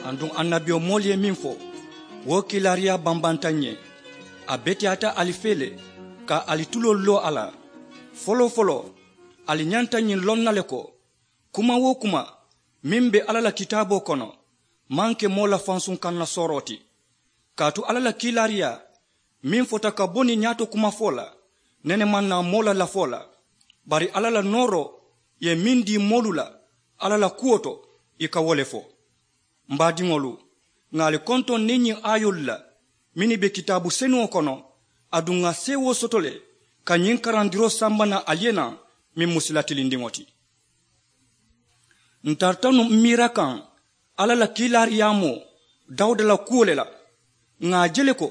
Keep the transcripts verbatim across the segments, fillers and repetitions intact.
Aduŋ annabiyomoolu ye meŋ fo, wo kiilaariyaa bambanta ǹ ye. A beteyaata ali fee le ka ali tuloolu loo a la. Foloo-foloo, ali ñanta ñiŋ loŋ na le ko, kuma-wo-kuma meŋ be alla la kitaaboo kono maŋ ke moo la fansuŋ kaŋ na sooroo ti. Kaatu alla la kiilaariyaa meŋ fota ka bo niŋ ñaato kumafoo la, nene maŋ naa moo la lafoo la. Bari alla la nooroo ye meŋ dii moolu la alla la kuwo to, ì ka wo le fo. M baadiŋolu, ŋà ali kontoŋ niŋ ñiŋ aayoolu la mennu be kitaabu senuŋo kono. Aduŋ ŋà seewoo soto le ka ñiŋ karandiroo samba naŋ ali ye naŋ meŋ mu sila tilindiŋo ti. Ǹ tarata nuŋ m miira kaŋ alla la kiilaariyaamoo dawuda la kuwo le la. Ŋà a je le ko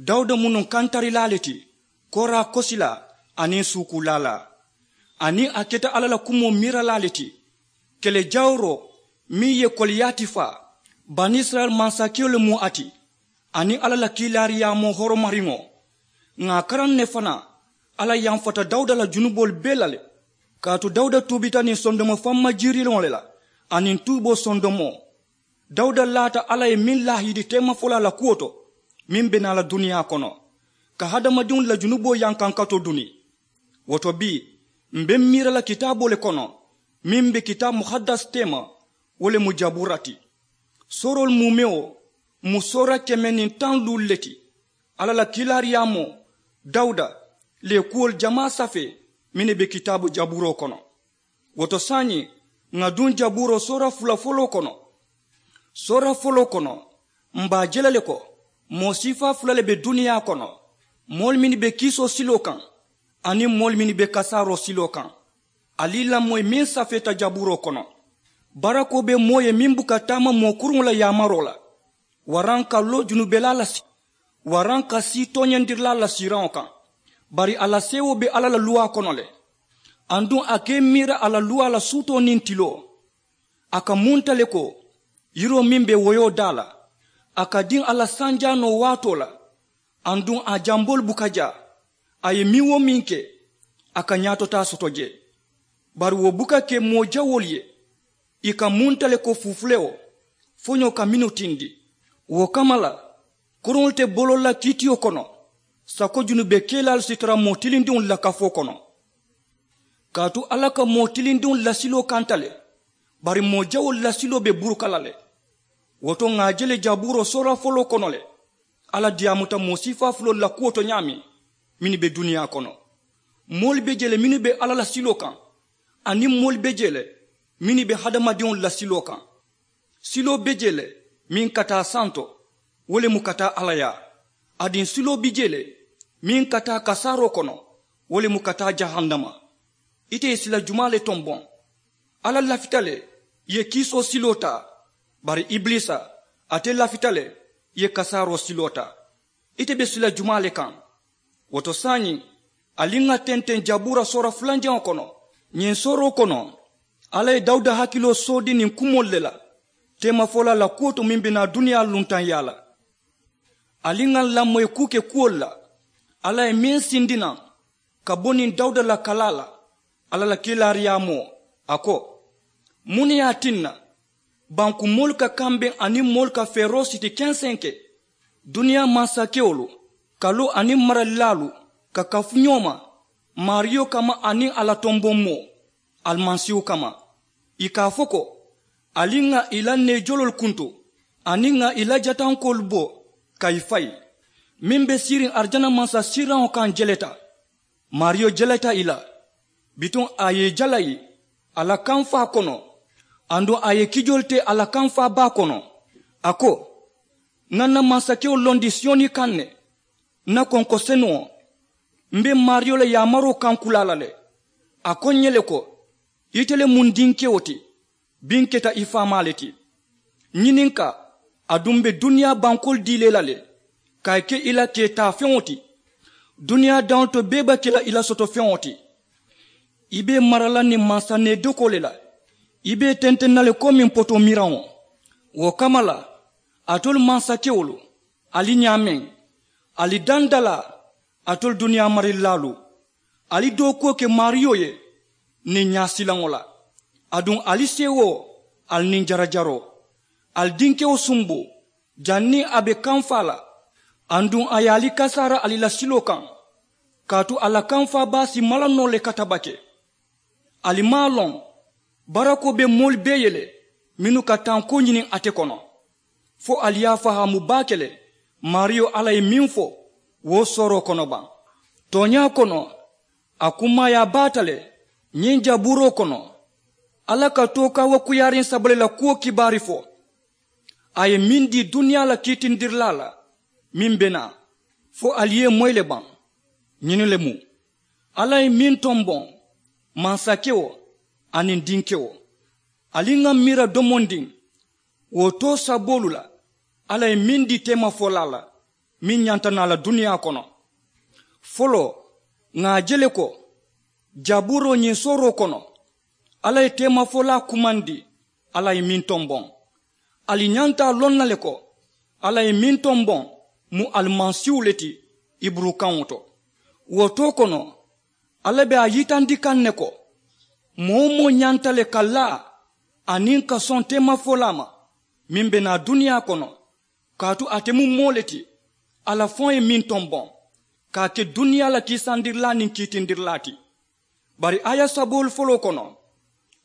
dawuda mu nuŋ kantarilaa le ti, kooraa kosilaa aniŋ suukuulaalaa. Aniŋ a keta alla la kumoo miiralaa le ti, kele jawuroo meŋ ye koliyaati faa banisirayila mansakewo le mu a ti, aniŋ alla la kiilaariyaamoo horomariŋo. Ŋà a karaŋ ne fanaa alla yamfata dawuda la junuboolu bee la le. Kaatu dawuda tuubita niŋ sondomo famma jiiriloŋo le la, aniŋ tuuboo sondomoo. Dawuda laata alla ye meŋ laahidi teemafolaa la kuwo to meŋ be naa la duniyaa kono, ka hadamadiŋolu la junuboo yankankatoo duni. Wo to bii, m̀ be m miira la kitaaboo le kono meŋ be kitaabu muhaddas teema, wo le mu jabuura ti. Sooroolu muumewo mu soora keme niŋ taŋ luulu le ti. Alla la kiilaariyaamoo dawuda le ye kuwolu jamaa safee mennu be kitaabu jabuuroo kono. Wo to saayiŋ, ŋà duŋ jabuuroo soora fula foloo kono. Soora foloo kono, m̀ be a je la le ko moo siifaa fula le be duniyaa kono, moolu mennu be kiisoo siloo kaŋ aniŋ moolu mennu be kasaaroo siloo kaŋ. Ali i lamoyi meŋ safeeta jabuuroo kono. Barakoo be moo ye meŋ buka taama moo kuruŋo la yaamaroo la, waraŋ ka loo junubelaa la si waraŋ ka sii tooñandirilaa la siiraŋo kaŋ. Bari a la seewoo be alla la luwaa kono le. Aduŋ a ka i miira a la luwaa la suutoo niŋ tiloo. A ka munta le ko yiroo meŋ be woyoo daa la, a ka diŋ a la sanjaanoo waatoo la. Aduŋ a jamboolu buka jaa, a ye meŋ-wo-meŋ ke, a ka ñaatotaa soto jee. Bari wo buka ke moo jawoolu ye, ì ka munta le ko fufulewo foñoo ka mennu tindi. Wo kamma la, koroŋolu te boloo la kiitiyo kono sako junube kelaalu si tara moo tilindiŋolu la kafoo kono. Kaatu alla ka moo tilindiŋolu la siloo kanta le, bari moo jawoolu la siloo be buruka la le. Wo to ŋà a je le jabuuroo soora foloo kono le, alla diyaamuta moo siifaa fuloolu la kuwo to ñaameŋ mennu be duniyaa kono. Moolu be jee le mennu be alla la siloo kaŋ, aniŋ moolu be jee le mennu be hadamadiŋolu la siloo kaŋ. Siloo be jee le meŋ ka taa santo, wo le mu ka taa alla yaa. Aduŋ siloo be jee le meŋ ka taa kasaaroo kono, wo le mu ka taa jahannama. Ite ye sila jumaa le tomboŋ? Alla lafita le ye kiisoo siloo taa, bari ibiliisa, ate lafita le ye kasaaroo siloo taa. Ite be sila jumaa le kaŋ? Wo to saayiŋ, ali ŋà tenteŋ jabuura soora fulanjaŋo kono. Ñiŋ sooroo kono, alla ye dawuda hakiloo soodi niŋ kumoolu le la teemafolaa la kuwo to meŋ be naa duniyaa luntaŋyaa la. Ali ŋà lamoyi kuu ke kuwolu la alla ye meŋ sindi naŋ ka bo niŋ dawuda la kalaa la. Alla la kiilaariyaamoo, a ko, muŋ ne ye a tinna banku moolu ka kambeŋ aniŋ moolu ka feeroo siti kenseŋ ke? Duniyaa mansakewolu, kaloo aniŋ maralilaalu ka kafu ñoo ma maariyo kamma aniŋ a la tomboŋ moo, alimasiihu kamma. Ì ka a fo ko, ali ŋà ì la neejoloolu kuntu aniŋ ŋà ì la jatankoolu bo ka ì fayi. Meŋ be siiriŋ arijana mansasiiraŋo kaŋ jeleta. Maariyo jeleta ì la. Bituŋ a ye ì jalayi a la kamfaa kono, aduŋ a ye kijoolu te a la kamfaa baa kono. A ko, ŋà n na mansakewo londi siyoni kaŋ ne, n na konko senuŋo. M be maariyo la yaamaroo kankulaa la le. A ko ǹ ye le ko, ite le mu n dinkewo ti, biŋ keta i faamaa le ti. Ñininkaa, aduŋ m be duniyaa bankoolu dii la i la le, ka i ke i la kee taafeŋo ti. Duniyaa daŋolu to bee be ke la i la soto feŋo ti. I be i mara la niŋ mansa needokoo le la. I be i tenteŋ na le komiŋ potoo miraŋo. Wo kamma la, alitolu mansakewolu, ali ñaameŋ, ali dandalaa, alitolu duniyaa marilaalu, ali dookuwo ke maariyo ye niŋ ñaasilaŋo la. Aduŋ ali seewoo, ali niŋ jarajaroo, Ali dinkewo sumbu janniŋ a be kamfaa la, aduŋ a ye ali kasaara ali la siloo kaŋ, kaatu a la kamfaa baa si mala noo le katabake. Ali maŋ a loŋ barakoo be moolu bee ye le mennu ka tankoo ñiniŋ ate kono, fo ali ye a fahaamu baake le maariyo alla ye meŋ fo wo sooroo kono baŋ. Tooñaa kono, a kummaayaa baata le ñiŋ jabuuroo kono. Alla ka tookaa wo kuyaariŋ saba le la kuwo kibaari fo. A ye meŋ dii duniyaa la kiitindirilaa la meŋ be naa, fo ali ye moyi le baŋ. Ñini le mu alla ye meŋ tomboŋ, mansakewo aniŋ dinkewo. Ali ŋà miira domondiŋ wo too saboolu la alla ye meŋ dii teemafolaa la meŋ ñanta naa la duniyaa kono. Foloo ŋà a je le ko jabuuroo ñiŋ sooroo kono alla ye teemafolaa kumandi. Alla ye meŋ tomboŋ, ali ñanta a loŋ na le ko alla ye meŋ tomboŋ mu alimasiihu le ti. Iburukaŋo to wo too kono alla be a yitandi kaŋ ne ko moo-wo-moo ñanta le ka laa aniŋ ka soŋ teemafolaa ma meŋ be naa duniyaa kono, kaatu ate mu moo le ti alla faŋo ye meŋ tomboŋ ka a ke duniyaa la kiisandirilaa niŋ kiitindirilaa ti. Bari aaya saboolu foloo kono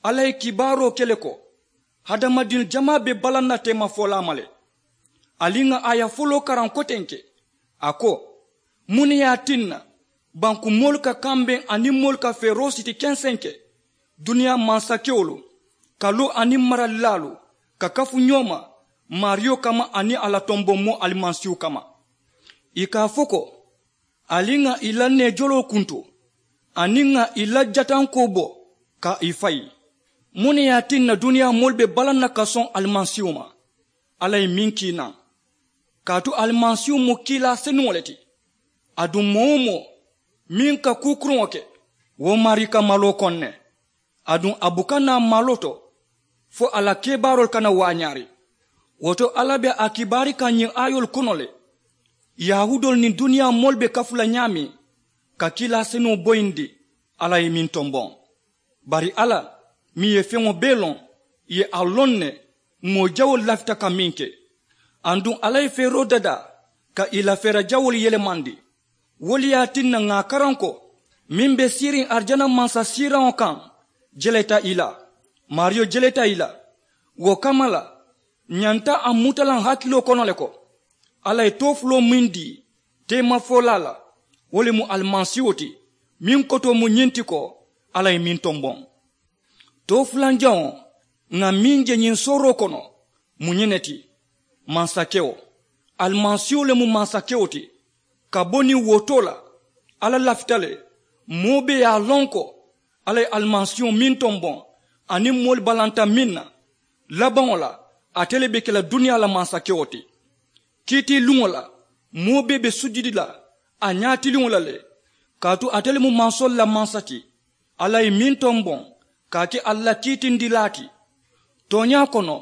alla ye kibaaroo ke le ko hadamadiŋ jamaa be balaŋ na teemafolaa ma le. Ali ŋà aaya foloo karaŋ kotenke, a ko muŋ ne ye a tinna banku moolu ka kambeŋ aniŋ moolu ka feeroo siti kensenke duniyaa mansakewolu ka loo aniŋ maralilaalu ka kafu ñoo ma maariyo kamma aniŋ a la tomboŋ moo alimasiihu kamma? Ì ka a fo ko ali ŋà ì la neejoloo kuntu aniŋ ŋà ì la jatankoo bo ka ì fayi. Muŋ ne ye a tinna duniyaa moolu be balaŋ na ka soŋ alimasiihu ma? Alla ye meŋ kii naŋ, kaatu alimasiihu mu kiilaa senuŋo le ti. Aduŋ moo-wo-moo meŋ ka kuu kuruŋo ke wo maarii ka maloo koŋ ne. Aduŋ a buka naa maloo to fo a la kebaaroolu kana waañaari. Wo to alla be a kibaari kaŋ ñiŋ aayoolu kono le yahuudoolu niŋ duniyaa moolu be kafu la ñaameŋ ka kiilaa senuŋo boyindi. Alla ye meŋ tomboŋ, bari alla meŋ ye feŋo bee loŋ ì ye a loŋ ne moo jawoolu lafita ka meŋ ke. Aduŋ alla ye feeroo dadaa ka ì la feera jawoolu yelemandi. Wo le ye a tinna ŋà a karaŋ ko meŋ be siiriŋ arijana mansa siiraŋo kaŋ jeleta ì la. Maariyo jeleta ì la. Wo kamma la ñanta a mutalaŋ hakiloo kono le ko alla ye toofuloo meŋ dii teemafolaa la wo le mu alimasiiwo ti. Meŋ kotoo mu ñiŋ ti ko alla ye meŋ tomboŋ. Toofulanjaŋo ŋà meŋ je ñiŋ sooroo kono mu ñiŋ ne ti mansakewo. Alimasiiwo le mu mansakewo ti. Ka bo niŋ wo too la alla lafita le moo bee ye a loŋ ko alla ye alimasiiwo meŋ tomboŋ aniŋ moolu balanta meŋ na labaŋo la ate le be ke la duniyaa la mansakewo ti. Kiitiiluŋo la moo bee be sujudi la a ñaatiliŋo la le. Kaatu ate le mu mansoolu la mansa ti. Alla ye meŋ tomboŋ ka a ke ali la kiitindilaa ti. Tooñaa kono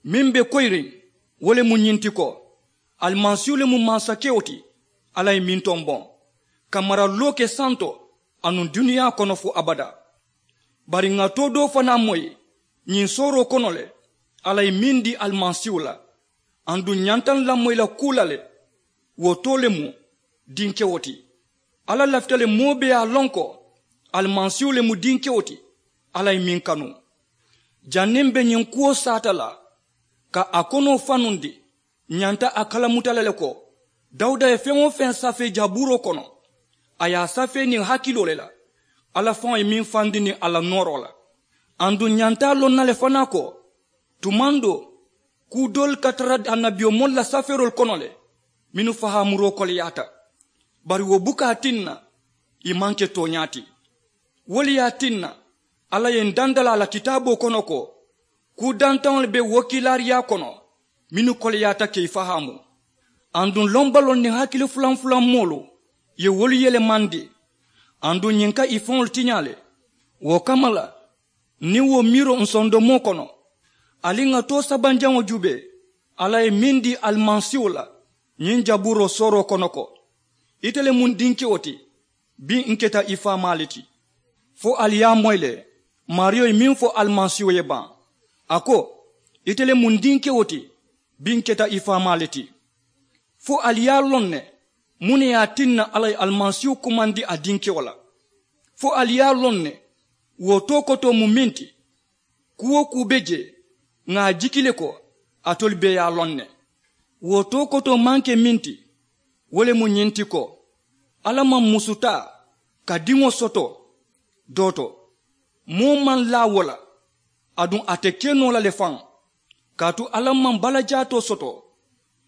meŋ be koyiriŋ wo le mu ñiŋ ti ko alimasiihu le mu mansakewo ti. Alla ye meŋ tomboŋ ka maraloo ke santo anuŋ duniyaa kono fo abadaa. Bari ŋà too doo fanaa moyi ñiŋ sooroo kono le alla ye meŋ dii alimasiihu la. Aduŋ ñanta n lamoyi la kuu la le wo too le mu dinkewo ti. Alla lafita le moo bee ye a loŋ ko alimasiihu le mu dinkewo ti. Alla ye meŋ kanu janniŋ be ñiŋ kuwo saata la ka a konoo fanundi ñanta a kalamuta le le ko dawuda ye feŋ-wo-feŋ safee jabuuroo kono a ye a safee niŋ hakiloo le la. Alla faŋo ye meŋ fandi niŋ a la nooroo la. Aduŋ ñanta a loŋ na le fanaa ko tumaŋ doo kuu doolu ka tara annabiyomoolu la safeeroolu kono le mennu fahaamuroo koleyaata. Bari wo buka a tinna ì maŋ ke tooñaa ti. Wo le ye a tinna alla ye n dandalaa la kitaaboo kono ko kuu dantaŋolu be wokiilaariyaa kono mennu koleyaata ka ì fahaamu. Aduŋ lombaloo niŋ hakili fulanfulan moolu ye wolu yelemandi. Aduŋ ñiŋ ka ì faŋolu tiñaa le wo kamma la niŋ wo miiroo nsondomoo kono ali ŋà too sabanjaŋo juubee alla ye meŋ dii alimasiiwo la ñiŋ jabuuroo sooroo kono ko ite le mu n dinkewo ti. Biŋ n keta i faamaa le ti. Fo ali ye a moyi le maariyo ye meŋ fo alimasiiwo ye baŋ a ko Ite le mu n dinkewo ti, bi n keta i faamaa le ti. Fo ali ye a loŋ ne, muŋ ne ye a tinna alla ye alimasiihu kumandi a dinkewo la? Fo ali ye a loŋ ne, wo too kotoo mu meŋ ti? Kuu-wo-kuu be jee, ŋà a jiki le ko alitolu bee ye a loŋ ne. Wo too kotoo maŋ ke meŋ ti, wo le mu ñiŋ ti ko, alla maŋ musu taa ka diŋo soto doo to. Moo maŋ laa wo la, aduŋ a te ke noo la le faŋ. Kaatu alla maŋ balajaatoo soto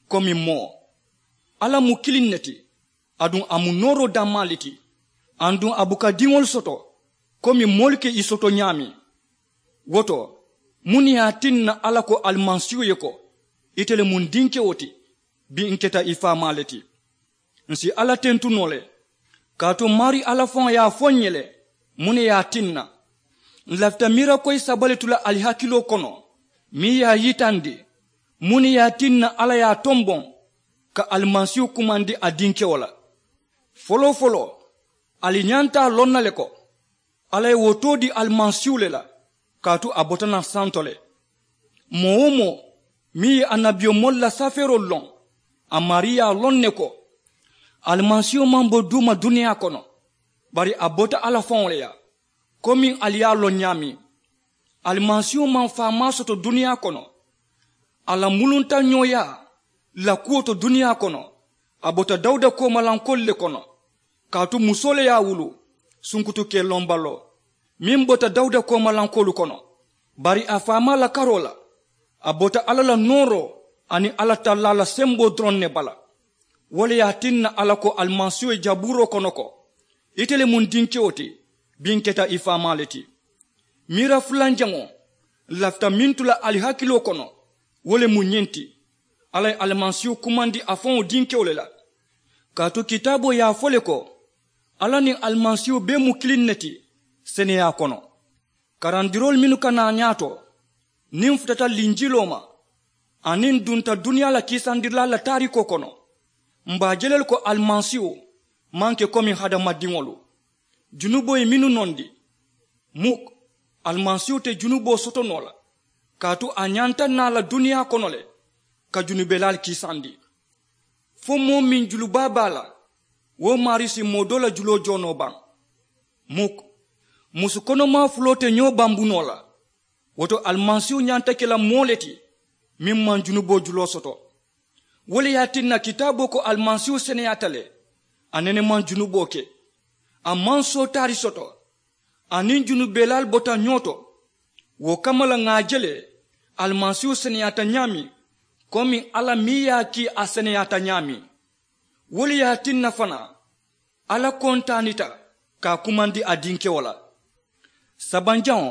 komi moo. Alla mu kiliŋ ne ti, aduŋ a mu nooroo dammaa le ti. Aduŋ a buka diŋolu soto komi moolu ka i soto ñaameŋ. Wo to, muŋ ne ye a tinna alla ko alimasiihu ye ko, ite le mu n dinkewo ti, bi n keta i faamaa le ti? N si alla tentu noo le, kaatu maarii alla faŋo ye a fo n ye le, muŋ ne ye a tinna? N lafita miira koyi saba le tu la ali hakiloo kono, meŋ ye a yitandi muŋ ne ye a tinna alla ye a tomboŋ ka alimasiihu kumandi a dinkewo la. Foloo-foloo, ali ñanta a loŋ na le ko, alla ye wo too dii alimasiihu le la, kaatu a bota naŋ santo le. Moo-wo-moo meŋ ye annabiyomoolu la safeeroolu loŋ, a maarii ye a loŋ ne ko, alimasiihu maŋ bo duuma duniyaa kono, bari a bota alla faŋo le yaa. Komiŋ ali ye a loŋ ñaameŋ, alimasiihu maŋ faamaa soto duniyaa kono. A la muluntañooyaa la kuwo to duniyaa kono, a bota dawuda koomalankoolu le kono. Kaatu musoo le ye a wulu sunkutu kee loŋ baloo, meŋ bota dawuda koomalankoolu kono. Bari a faamaa la karoo la, a bota alla la nooroo aniŋ alla tallaa la semboo doroŋ ne bala. Wo le ye a tinna alla ko alimasiihu ye jabuuroo kono ko, ite le mu n dinkewo ti, bi n keta i faamaa le ti. Miira fulanjaŋo lafita meŋ tu la ali hakiloo kono, wo le mu ñiŋ ti, alla ye alimasiihu kumandi a faŋo dinkewo le la. Kaatu kitaaboo ye a fo le ko, alla niŋ alimasiihu bee mu kiliŋ ne ti seneyaa kono. Karandiroolu mennu ka naa ñaato, niŋ n futata linjiloo ma aniŋ n dunta duniyaa la kiisandirilaalu la taarikoo kono, m be a je le ko alimasiihu maŋ ke komi hadamadiŋolu. Junuboo ye mennu nondi, muk, alimasiihu te junuboo soto noo la, kaatu a ñanta naa la duniyaa kono le ka junubelaalu kiisandi. Fo moo meŋ julubaa be a la, wo maarii si moo doo la juloo joo noo baŋ? Muk. Musu konomaa fuloo te ñoo bambu noo la. Wo to alimasiihu ñanta ke la moo le ti meŋ maŋ junuboo juloo soto. Wo le ye a tinna kitaaboo ko alimasiihu seneyaata le, a nene maŋ junuboo ke. A maŋ sootaari soto, aniŋ junubelaalu bota ñoo to. Wo kamma la ŋà a je le, alimasiihu seneyaata ñaameŋ komi alla meŋ ye a kii a seneyaata ñaameŋ. Wo le ye a tinna fanaa, alla kontaanita ka a kumandi a dinkewo la. Sabanjaŋo,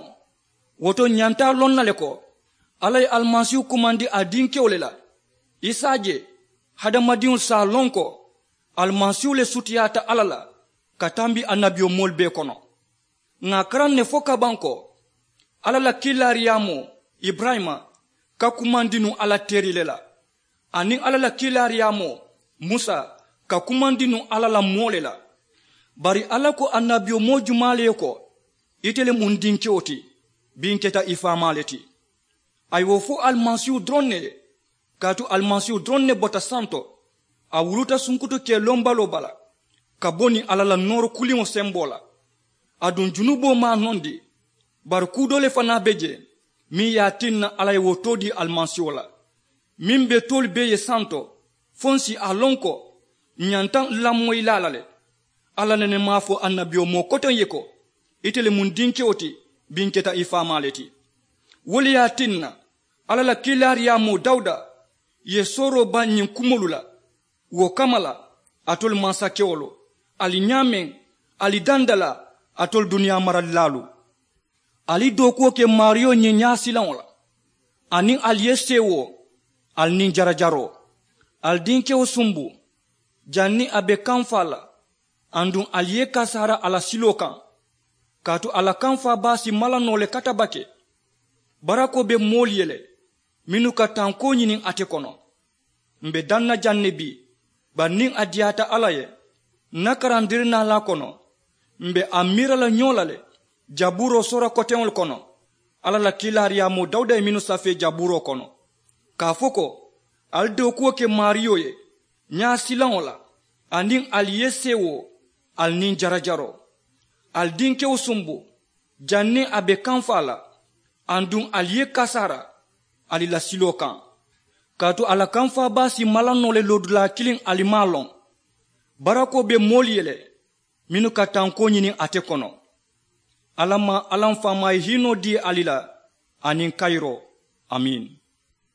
wo to n ñanta a loŋ na le ko, alla ye alimasiihu kumandi a dinkewo le la. I si a je, hadamadiŋolu si a loŋ ko alimasiihu le sutiyaata alla la ka tambi annabiyomoolu bee kono. Ŋà a karaŋ ne fo kabaŋ ko, alla la kiilaariyaamoo iburayima ka kumandi nuŋ alla teeri le la, aniŋ alla la kiilaariyaamoo musa ka kumandi nuŋ alla la moo le la. Bari alla ko annabiyomoo jumaa le ye ko, ite le mu n dinkewo ti, bi n keta i faamaa le ti? A ye wo fo alimasiihu doroŋ ne ye. Kaatu alimasiihu doroŋ ne bota santo, a wuluta sunkutu kee loŋ baloo bala ka bo niŋ alla la nooro kuliŋo semboo la. Aduŋ junuboo maŋ a nondi. Bari kuu doo le fanaa be jee meŋ ye a tinna alla ye wo too dii alimasiiho la, meŋ be toolu bee ye santo, fo n si a loŋ ko n ñanta n lamoyilaa la le. Alla nene maŋ a fo annabiyomoo koteŋ ye ko, ite le mu n dinkewo ti, bi n keta i faamaa le ti. Wo le ye a tinna alla la kiilaariyaamoo dawuda ye sooroo baŋ ñiŋ kumoolu la. Wo kamma la, alitolu mansakewolu, ali ñaameŋ, ali dandalaa, alitolu duniyaa maralilaalu, ali dookuwo ke maariyo ñiŋ ñaasilaŋo la, aniŋ ali ye seewoo, ali niŋ jarajaroo, ali dinkewo sumbu, janniŋ a be kamfaa la. Aduŋ ali ye i kasaara a la siloo kaŋ, kaatu a la kamfaa baa si mala noo le katabake. Barakoo be moolu ye le mennu ka tankoo ñiniŋ ate kono. M̀ be daŋ na jaŋ ne bii, bari niŋ a diyaata alla ye, ǹ na karandirinaalaa kono m̀ be a miira la ñoo la le, jabuuroo soora koteŋolu kono. Alla la kiilaariyaamoo dawuda ye mennu safee jabuuroo kono, ka a fo ko, ali dookuwo ke maariyo ye ñaasilaŋo la, aniŋ ali ye seewoo, ali niŋ jarajaroo. Ali dinkewo sumbu, janniŋ a be kamfaa la, aduŋ ali ye kasaara ali la siloo kaŋ. Kaatu a la kamfaa baa si mala noo le loodulaa kiliŋ ali maŋ a loŋ. Barakoo be moolu ye le mennu ka tankoo ñini ate kono. Alla maŋ alla m faamaa ye hiinoo dii ali la, aniŋ kayiroo. Amiin.